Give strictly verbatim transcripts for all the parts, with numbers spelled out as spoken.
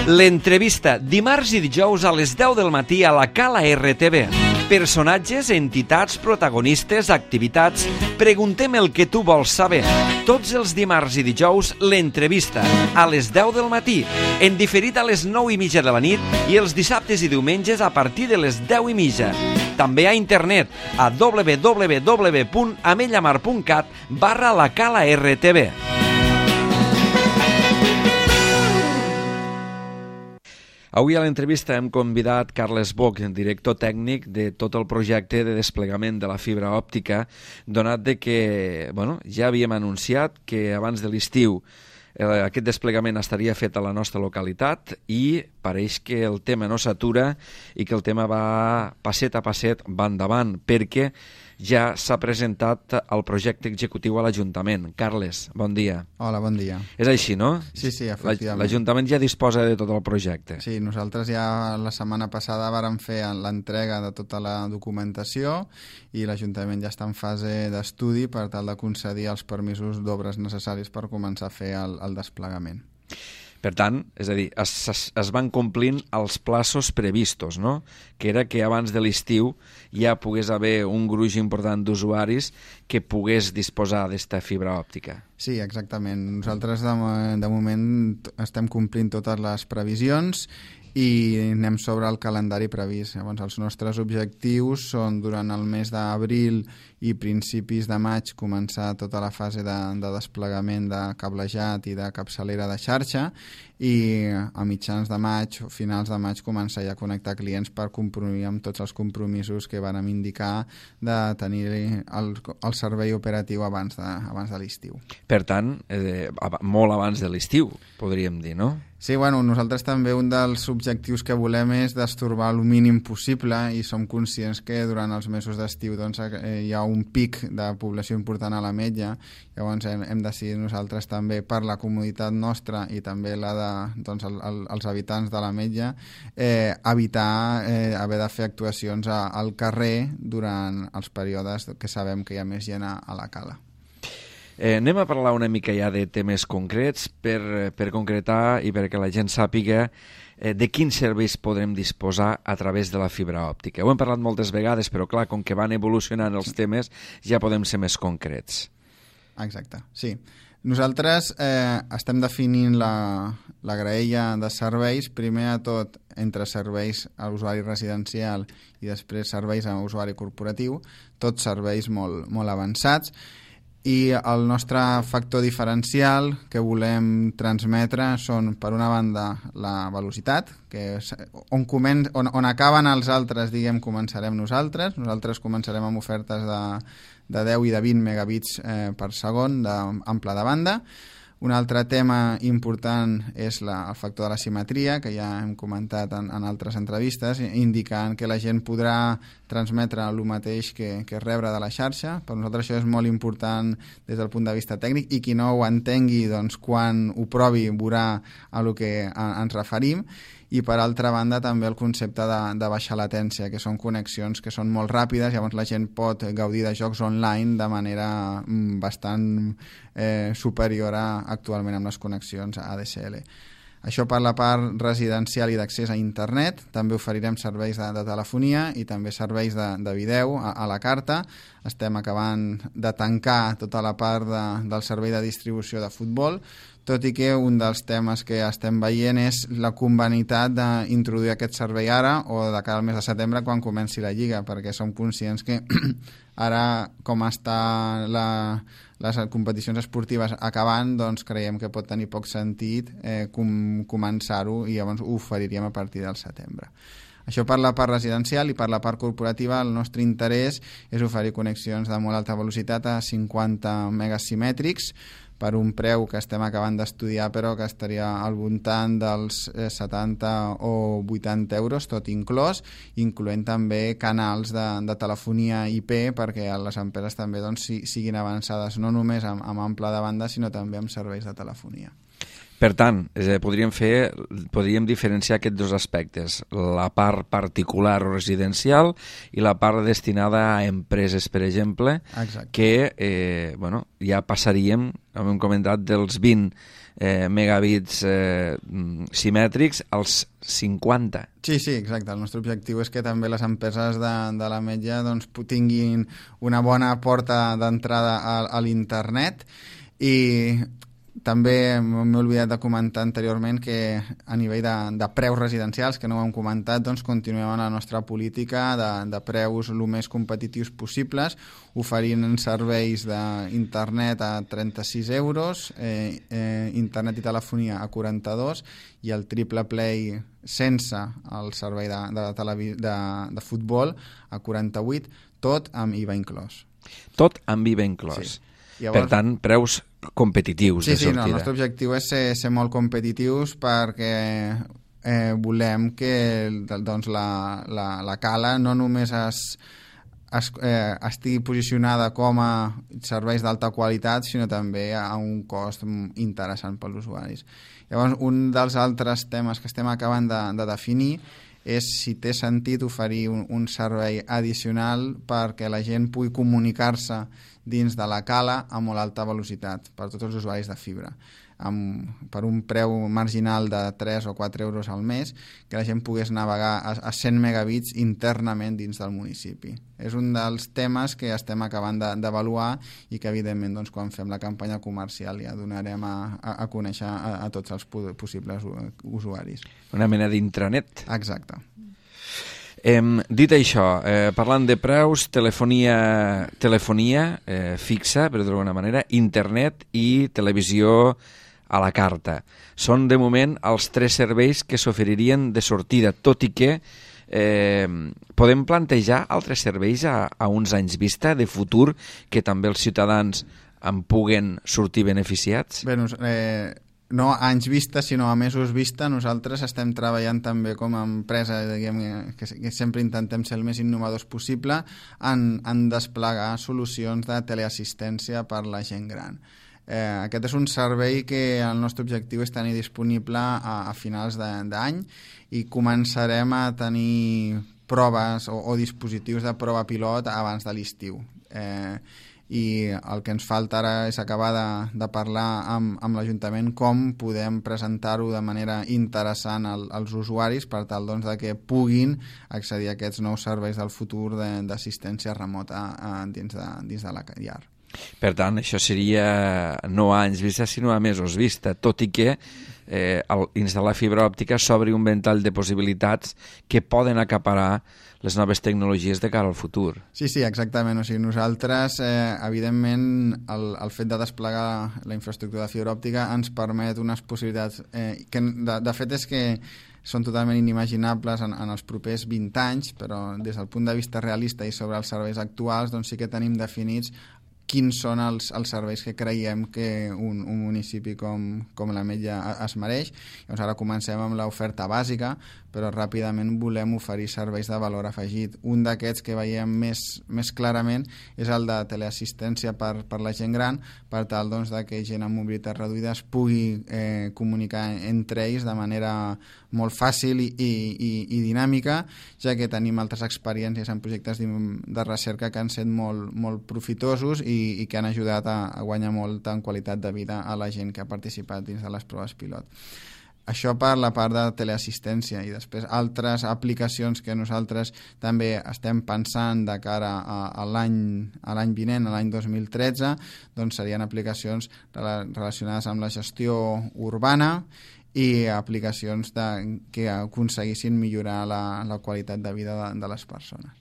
L'entrevista, dimarts i dijous a les deu del matí a la Cala R T V. Personatges, entitats, protagonistes, activitats... Preguntem el que tu vols saber. Tots els dimarts i dijous, l'entrevista, a les deu del matí, en diferit a les nou i mitja de la nit i els dissabtes i diumenges a partir de les deu i mitja. També a internet, a w w w punt amellamar punt cat barra la Cala R T V. Avui a l'entrevista hem convidat Carles Boch, director tècnic de tot el projecte de desplegament de la fibra òptica, donat de que bueno, ja havíem anunciat que abans de l'estiu eh, aquest desplegament estaria fet a la nostra localitat i pareix que el tema no s'atura i que el tema va passet a passet, va endavant, perquè ja s'ha presentat el projecte executiu a l'Ajuntament. Carles, bon dia. Hola, bon dia. És així, no? Sí, sí, efectivament. L'Ajuntament ja disposa de tot el projecte. Sí, nosaltres ja la setmana passada vàrem fer l'entrega de tota la documentació i l'Ajuntament ja està en fase d'estudi per tal de concedir els permisos d'obres necessaris per començar a fer el, el desplegament. Per tant, és a dir, es, es, es van complint els plaços previstos, no? Que era que abans de l'estiu ja pogués haver un gruix important d'usuaris que pogués disposar d'esta fibra òptica. Sí, exactament. Nosaltres de, de moment estem complint totes les previsions i anem sobre el calendari previst. Llavors, els nostres objectius són durant el mes d'abril i principis de maig començar tota la fase de, de desplegament de cablejat i de capçalera de xarxa i a mitjans de maig o finals de maig començar ja a connectar clients per complir amb tots els compromisos que vàrem indicar de tenir el, el servei operatiu abans de, abans de l'estiu. Per tant, eh, molt abans de l'estiu, podríem dir, no? Sí, bueno, nosaltres també un dels objectius que volem és destorbar el mínim possible i som conscients que durant els mesos d'estiu doncs, hi ha un pic de població important a l'Ametlla. Llavors hem, hem decidit nosaltres també per la comoditat nostra i també la de doncs, el, el, els habitants de l'Ametlla eh, evitar eh, haver de fer actuacions a, al carrer durant els períodes que sabem que hi ha més gent a, a la cala. Eh, anem a parlar una mica ja de temes concrets per, per concretar i perquè la gent sàpiga eh, de quins serveis podrem disposar a través de la fibra òptica. Ho hem parlat moltes vegades, però clar, com que van evolucionant els temes, ja podem ser més concrets. Exacte, sí. Nosaltres eh, estem definint la, la graella de serveis, primer a tot entre serveis a usuari residencial i després serveis a usuari corporatiu, tots serveis molt, molt avançats. I el nostre factor diferencial que volem transmetre són, per una banda, la velocitat, que és on, comen on, on acaben els altres, diguem, començarem nosaltres. Nosaltres començarem amb ofertes de, de deu i de vint megabits eh, per segon d'ample de banda. Un altre tema important és la, el factor de la simetria, que ja hem comentat en, en altres entrevistes, indicant que la gent podrà transmetre el mateix que, que rebre de la xarxa. Per nosaltres això és molt important des del punt de vista tècnic i qui no ho entengui, doncs, quan ho provi veurà a lo que a, ens referim. I per altra banda també el concepte de, de baixa latència, que són connexions que són molt ràpides, llavors la gent pot gaudir de jocs online de manera bastant eh, superior a actualment amb les connexions A D S L. Això per la part residencial i d'accés a internet. També oferirem serveis de, de telefonia i també serveis de, de vídeo a, a la carta. Estem acabant de tancar tota la part de, del servei de distribució de futbol, tot i que un dels temes que estem veient és la convenitat d'introduir aquest servei ara o de cara al mes de setembre quan comenci la Lliga, perquè som conscients que ara, com està la, les competicions esportives acabant, doncs creiem que pot tenir poc sentit eh, com, començar-ho i llavors ho oferiríem a partir del setembre. Això per la part residencial i per la part corporativa el nostre interès és oferir connexions de molt alta velocitat a cinquanta megas simètrics per un preu que estem acabant d'estudiar però que estaria al voltant dels setanta o vuitanta euros, tot inclòs, incloent també canals de, de telefonia I P perquè les empreses també doncs, siguin avançades no només amb, amb ample de banda sinó també amb serveis de telefonia. Per tant, eh, podríem fer, podríem diferenciar aquests dos aspectes, la part particular o residencial i la part destinada a empreses, per exemple, Exacte. que eh, bueno, ja passaríem, hem comentat, dels vint eh, megabits eh, simètrics als cinquanta. Sí, sí, exacte. El nostre objectiu és que també les empreses de, de l'Ametlla doncs, tinguin una bona porta d'entrada a, a l'internet. I també m'he oblidat de comentar anteriorment que a nivell de, de preus residencials, que no ho hem comentat, doncs continuem amb la nostra política de, de preus el més competitius possibles, oferint serveis d'internet a trenta-sis euros, eh, eh, internet i telefonia a quaranta-dos i el triple play sense el servei de, de, televi de, de futbol a quaranta-vuit, tot amb I V A inclòs. Tot amb I V A inclòs. Sí. Llavors, per tant, preus competitius sí, de sortida. Sí, no, el nostre objectiu és ser, ser molt competitius perquè eh, volem que doncs, la, la, la Cala no només es, es, eh, estigui posicionada com a serveis d'alta qualitat, sinó també a un cost interessant pels usuaris. Llavors, un dels altres temes que estem acabant de, de definir és si té sentit oferir un, un servei addicional perquè la gent pugui comunicar-se dins de la Cala a molt alta velocitat per tots els usuaris de fibra, amb, per un preu marginal de tres o quatre euros al mes, que la gent pogués navegar a, a cent megabits internament dins del municipi. És un dels temes que estem acabant d'avaluar i que, evidentment, doncs, quan fem la campanya comercial ja donarem a, a, a conèixer a, a tots els possibles usuaris. Una mena d'intranet. Exacte. Eh, dit això, eh, parlant de preus, telefonia, telefonia eh, fixa, per dir-ho d'alguna manera, internet i televisió a la carta. Són, de moment, els tres serveis que s'oferirien de sortida, tot i que eh, podem plantejar altres serveis a, a uns anys vista, de futur, que també els ciutadans en puguen sortir beneficiats? Bé, eh... no a anys vista, sinó a mesos vista. Nosaltres estem treballant també com a empresa, diguem, que, que sempre intentem ser el més innovadors possible en, en desplegar solucions de teleassistència per la gent gran. Eh, aquest és un servei que el nostre objectiu és tenir disponible a, a finals d'any i començarem a tenir proves o, o dispositius de prova pilot abans de l'estiu. Eh, i el que ens falta ara és acabar de, de parlar amb, amb l'Ajuntament com podem presentar-ho de manera interessant al, als usuaris per tal doncs, de que puguin accedir a aquests nous serveis del futur d'assistència remota a, dins, de, dins de la llar. Per tant, això seria no a anys vista, sinó a mesos vista, tot i que eh, al instal·lar fibra òptica s'obri un ventall de possibilitats que poden acaparar les noves tecnologies de cara al futur. Sí, sí, exactament. O sigui, nosaltres, eh, evidentment, el, el fet de desplegar la infraestructura de fibra òptica ens permet unes possibilitats eh, que, de, de fet, és que són totalment inimaginables en, en els propers vint anys, però des del punt de vista realista i sobre els serveis actuals, doncs sí que tenim definits quins són els, els serveis que creiem que un, un municipi com, com l'Ametlla es mereix. Llavors ara comencem amb l'oferta bàsica, però ràpidament volem oferir serveis de valor afegit. Un d'aquests que veiem més, més clarament és el de teleassistència per, per la gent gran, per tal doncs, de que gent amb mobilitat reduïda es pugui eh, comunicar entre ells de manera molt fàcil i, i, i dinàmica, ja que tenim altres experiències en projectes de recerca que han estat molt, molt profitosos i, i que han ajudat a, a guanyar molt en qualitat de vida a la gent que ha participat dins de les proves pilot. Això per la part de teleassistència, i després altres aplicacions que nosaltres també estem pensant de cara a, a l'any vinent, a l'any dos mil tretze, doncs serien aplicacions relacionades amb la gestió urbana i aplicacions de, que aconseguissin millorar la, la qualitat de vida de, de les persones.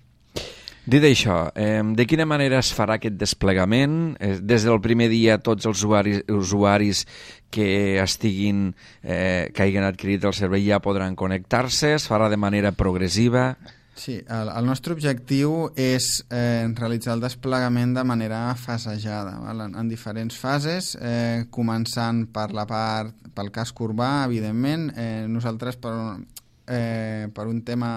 Dit això, eh, de quina manera es farà aquest desplegament? Eh, des del primer dia tots els usuaris, usuaris que estiguin, eh, que hagin adquirit el servei ja podran connectar-se? Es farà de manera progressiva? Sí, el, el nostre objectiu és eh, realitzar el desplegament de manera fasejada, val? En, en diferents fases, eh, començant per la part, pel casc urbà, evidentment. Eh, nosaltres, per, eh, per un tema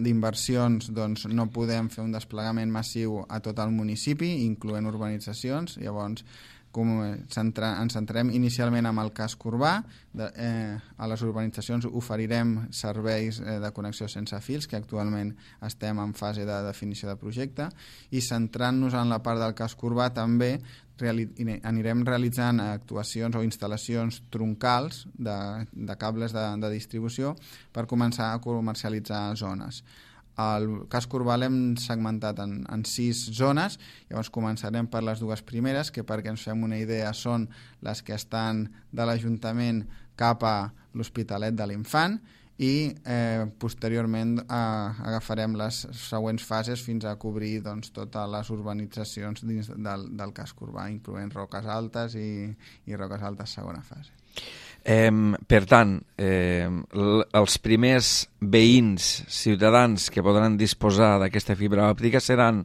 d'inversions, doncs, no podem fer un desplegament massiu a tot el municipi, incloent urbanitzacions. Llavors, com, centra, ens centrem inicialment en el casc urbà. De, eh, a les urbanitzacions oferirem serveis eh, de connexió sense fils, que actualment estem en fase de definició de projecte, i centrant-nos en la part del casc urbà també reali anirem realitzant actuacions o instal·lacions troncals de, de cables de, de distribució per començar a comercialitzar zones. El casc urbà l'hem segmentat en, en sis zones, llavors començarem per les dues primeres, que perquè ens fem una idea són les que estan de l'Ajuntament cap a l'Hospitalet de l'Infant, i eh, posteriorment eh, agafarem les següents fases fins a cobrir doncs, totes les urbanitzacions dins del, del casc urbà, incloent Roques Altes i, i Roques Altes segona fase. Eh, per tant, eh, els primers veïns, ciutadans que podran disposar d'aquesta fibra òptica seran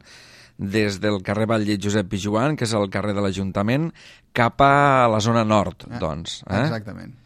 des del carrer Batlle Josep Pijuan, que és el carrer de l'Ajuntament, cap a la zona nord, doncs. Eh? Exactament.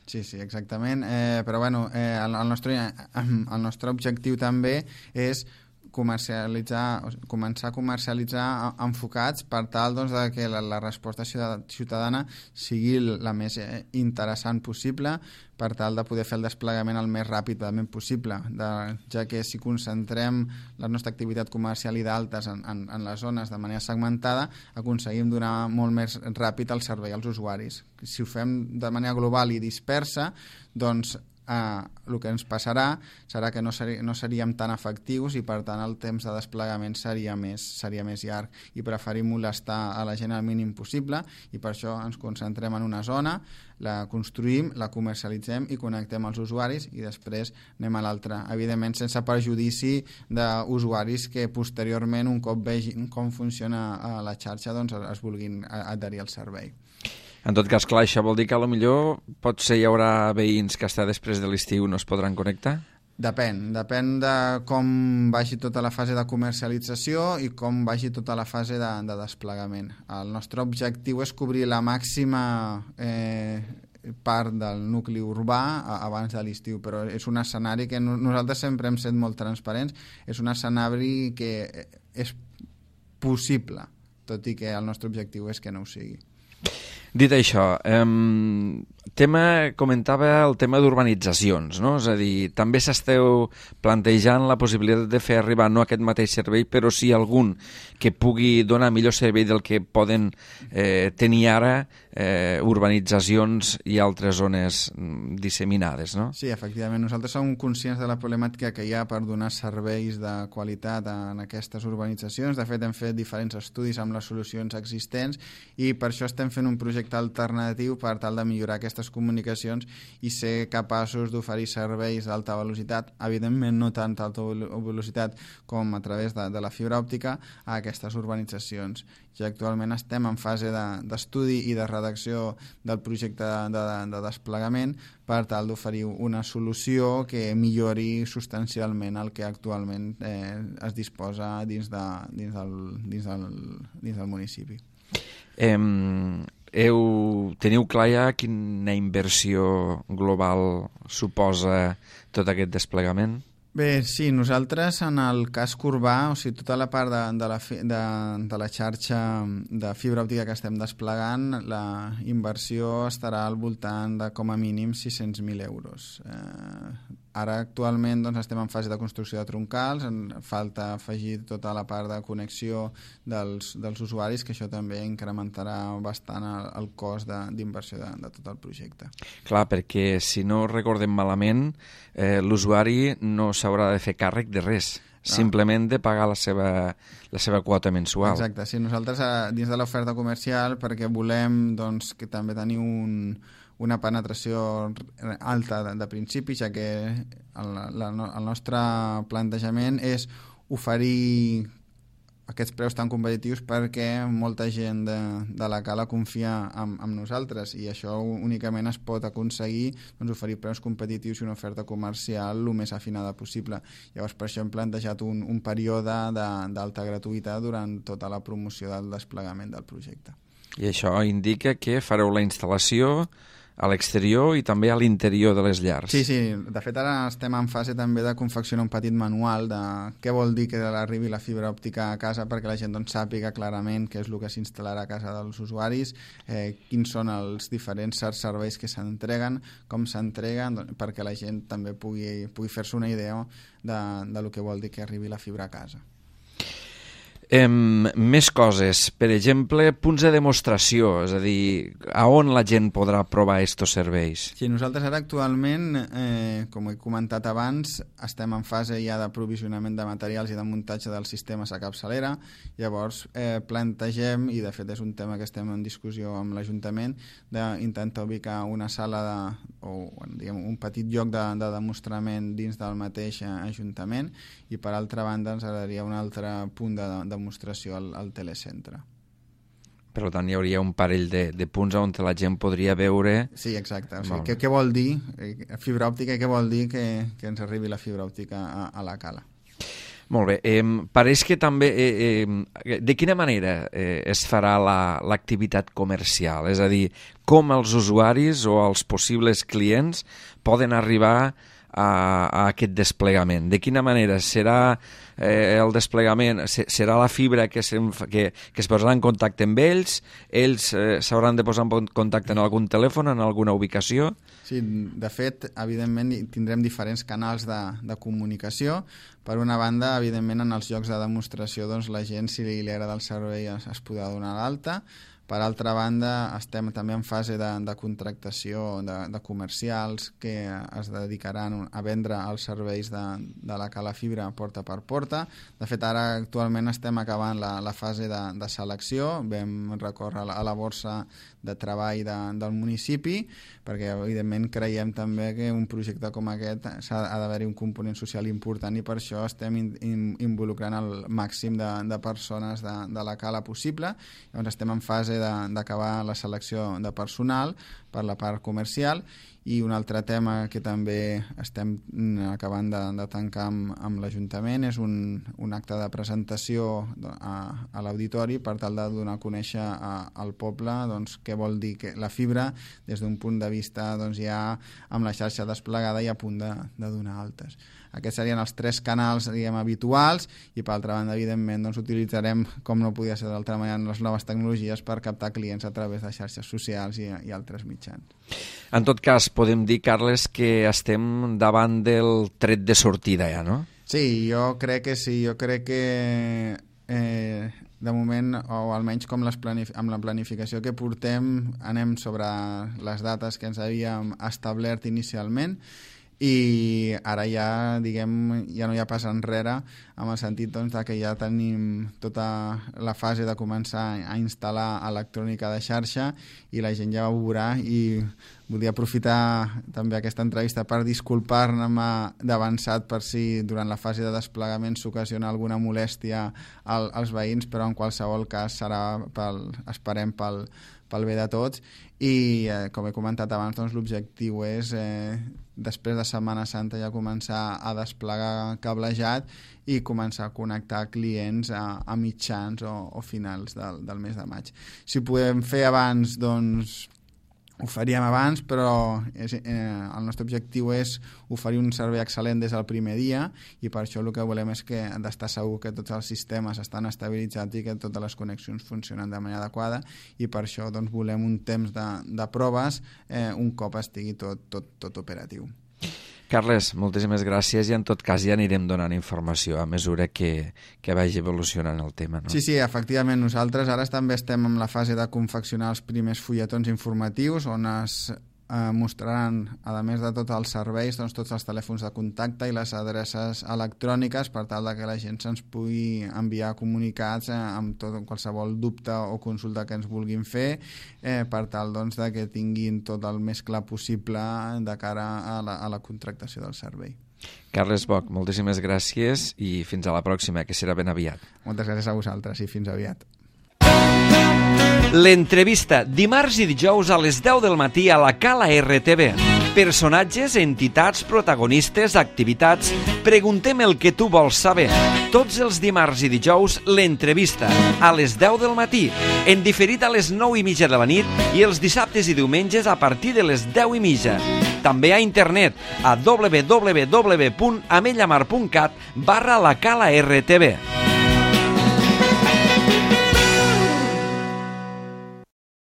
Sí, sí, exactament. Eh, però bueno, eh, el, el, nostre, el nostre objectiu també és comercialitzar, començar a comercialitzar enfocats per tal doncs, de que la, la resposta ciutadana sigui la més interessant possible, per tal de poder fer el desplegament el més ràpidament possible, de, ja que si concentrem la nostra activitat comercial i d'altes en, en, en les zones de manera segmentada, aconseguim donar molt més ràpid el servei als usuaris. Si ho fem de manera global i dispersa, doncs Uh, el que ens passarà serà que no, seri, no seríem tan efectius i per tant el temps de desplegament seria més, seria més llarg, i preferim molestar a la gent al mínim possible, i per això ens concentrem en una zona, la construïm, la comercialitzem i connectem els usuaris, i després anem a l'altra, evidentment sense perjudici d'usuaris que posteriorment, un cop vegin com funciona la xarxa, doncs es vulguin adherir al servei. En tot cas, clar, això vol dir que potser potser hi haurà veïns que hasta després de l'estiu no es podran connectar? Depèn, depèn de com vagi tota la fase de comercialització i com vagi tota la fase de, de desplegament. El nostre objectiu és cobrir la màxima eh, part del nucli urbà abans de l'estiu, però és un escenari que nosaltres sempre hem estat molt transparents, és un escenari que és possible, tot i que el nostre objectiu és que no ho sigui. Dit això, eh, tema, comentava el tema d'urbanitzacions, no? És a dir, també s'esteu plantejant la possibilitat de fer arribar no aquest mateix servei, però sí algun que pugui donar millor servei del que poden eh, tenir ara eh, urbanitzacions i altres zones disseminades, no? Sí, efectivament. Nosaltres som conscients de la problemàtica que hi ha per donar serveis de qualitat en aquestes urbanitzacions. De fet, hem fet diferents estudis amb les solucions existents i per això estem fent un projecte alternatiu per tal de millorar aquestes comunicacions i ser capaços d'oferir serveis d'alta velocitat, evidentment no tant d'alta velocitat com a través de, de la fibra òptica, a aquestes urbanitzacions. Ja actualment estem en fase d'estudi de, i de redacció del projecte de, de, de desplegament per tal d'oferir una solució que millori substancialment el que actualment eh, es disposa dins, de, dins, del, dins, del, dins del municipi. Eh, heu, teniu clar ja quina inversió global suposa tot aquest desplegament? Bé, sí, nosaltres en el casc urbà, o sigui, tota la part de, de, la, de, de la xarxa de fibra òptica que estem desplegant, la inversió estarà al voltant de com a mínim sis-cents mil euros. Eh, ara actualment doncs, estem en fase de construcció de troncals, en falta afegir tota la part de connexió dels, dels usuaris, que això també incrementarà bastant el, el cost d'inversió de, de, de tot el projecte. Clar, perquè si no recordem malament, eh, l'usuari no s'haurà de fer càrrec de res, no. Simplement de pagar la seva, la seva quota mensual. Exacte, sí, nosaltres dins de l'oferta comercial, perquè volem doncs, que també tenir un, una penetració alta de, de principi, ja que el, la, el nostre plantejament és oferir aquests preus tan competitius perquè molta gent de, de la cala confia en, en nosaltres, i això únicament es pot aconseguir doncs, oferir preus competitius i una oferta comercial el més afinada possible. Llavors per això hem plantejat un, un període d'alta gratuïta durant tota la promoció del desplegament del projecte. I això indica que fareu la instal·lació a l'exterior i també a l'interior de les llars. Sí, sí. De fet, ara estem en fase també de confeccionar un petit manual de què vol dir que arribi la fibra òptica a casa perquè la gent doncs, sàpiga clarament què és el que s'instal·larà a casa dels usuaris, eh, quins són els diferents serveis que s'entreguen, com s'entreguen, doncs, perquè la gent també pugui, pugui fer-se una idea de, de lo que vol dir que arribi la fibra a casa. Eh, més coses, per exemple, punts de demostració, és a dir, a on la gent podrà provar aquests serveis? Sí, nosaltres ara actualment, eh, com he comentat abans, estem en fase ja de provisionament de materials i de muntatge dels sistemes a capçalera, llavors eh, plantegem, i de fet és un tema que estem en discussió amb l'Ajuntament, d'intentar ubicar una sala de, o diguem, un petit lloc de, de demostrament dins del mateix Ajuntament, i per altra banda ens agradaria un altre punt de, de demostració al, al telecentre. Per tant, hi hauria un parell de, de punts on la gent podria veure... Sí, exacte. O sigui, què, què vol dir fibra òptica i què vol dir que, que ens arribi la fibra òptica a, a la cala? Molt bé. Eh, pareix que també... Eh, eh, de quina manera eh, es farà l'activitat la, comercial? És a dir, com els usuaris o els possibles clients poden arribar a, a aquest desplegament? De quina manera serà eh, el desplegament? Serà la fibra que, que, que es posarà en contacte amb ells? Ells eh, s'hauran de posar en contacte en algun telèfon, en alguna ubicació? Sí, de fet, evidentment tindrem diferents canals de, de comunicació. Per una banda, evidentment, en els llocs de demostració, doncs, la gent, si li agrada el servei, es, es podrà donar l'alta. Per altra banda, estem també en fase de, de contractació de, de comercials que es dedicaran a vendre els serveis de, de la cala fibra porta per porta. De fet, ara actualment estem acabant la, la fase de, de selecció. Vam recórrer a la, a la borsa de treball de, del municipi, perquè evidentment creiem també que un projecte com aquest s'ha d'haver-hi un component social important i per això estem in, in, involucrant el màxim de, de persones de, de la cala possible. Llavors estem en fase d'acabar la selecció de personal per la part comercial, i un altre tema que també estem acabant de, de tancar amb, amb l'Ajuntament és un, un acte de presentació a, a l'auditori per tal de donar a conèixer a, al poble doncs, què vol dir que la fibra des d'un punt de vista doncs, ja amb la xarxa desplegada i a punt de, de donar altes. Aquests serien els tres canals, diguem, habituals, i per altra banda, evidentment, doncs, utilitzarem, com no podia ser d'altra manera, les noves tecnologies per captar clients a través de xarxes socials i, i altres mitjans. En tot cas, podem dir, Carles, que estem davant del tret de sortida ja, no? Sí, jo crec que sí. Jo crec que eh, de moment, o almenys com les planif amb la planificació que portem, anem sobre les dates que ens havíem establert inicialment, i ara ja, diguem, ja no hi ha pas enrere, amb el sentit doncs, de que ja tenim tota la fase de començar a instal·lar electrònica de xarxa i la gent ja ho veurà, i volia aprofitar també aquesta entrevista per disculpar-me d'avançat per si durant la fase de desplegament s'ocasiona alguna molèstia al, als veïns, però en qualsevol cas serà, pel, esperem, pel, pel bé de tots. I eh, com he comentat abans, doncs, l'objectiu és eh, després de Setmana Santa ja començar a desplegar cablejat i començar a connectar clients a, a mitjans o, o finals del, del mes de maig. Si ho podem fer abans, doncs ho faríem abans, però és, eh, el nostre objectiu és oferir un servei excel·lent des del primer dia, i per això el que volem és que d'estar segur que tots els sistemes estan estabilitzats i que totes les connexions funcionen de manera adequada, i per això doncs, volem un temps de, de proves eh, un cop estigui tot, tot, tot operatiu. Carles, moltíssimes gràcies, i en tot cas ja anirem donant informació a mesura que, que vagi evolucionant el tema. No? Sí, sí, efectivament, nosaltres ara també estem en la fase de confeccionar els primers fulletons informatius on es eh, mostraran, a més de tots els serveis, doncs, tots els telèfons de contacte i les adreces electròniques per tal de que la gent se'ns pugui enviar comunicats eh, amb tot, qualsevol dubte o consulta que ens vulguin fer, eh, per tal doncs, de que tinguin tot el més clar possible de cara a la, a la contractació del servei. Carles Boc, moltíssimes gràcies i fins a la pròxima, que serà ben aviat. Moltes gràcies a vosaltres i fins aviat. L'entrevista, dimarts i dijous a les deu del matí a la Cala R T V. Personatges, entitats, protagonistes, activitats... Preguntem el que tu vols saber. Tots els dimarts i dijous, l'entrevista, a les deu del matí, en diferit a les nou i mitja de la nit i els dissabtes i diumenges a partir de les deu i mitja. També a internet, a w w w punt ametlla mar punt cat barra la cala R T V.